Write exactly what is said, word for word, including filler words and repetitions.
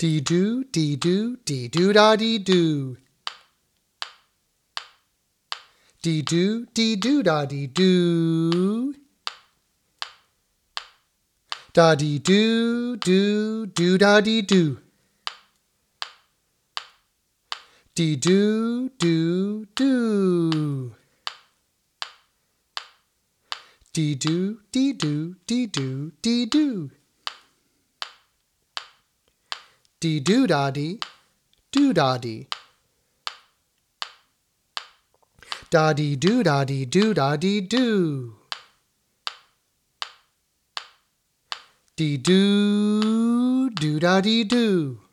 Dee doo, dee doo, dee doo da dee doo. Dee doo, dee doo da dee doo. Da dee doo, doo, doo da dee doo. Dee doo, doo, doo. Dee doo, dee doo, dee doo, dee doo. Dee doo da dee, doo da dee. Da dee doo da dee doo da dee doo. Dee doo, doo da dee doo.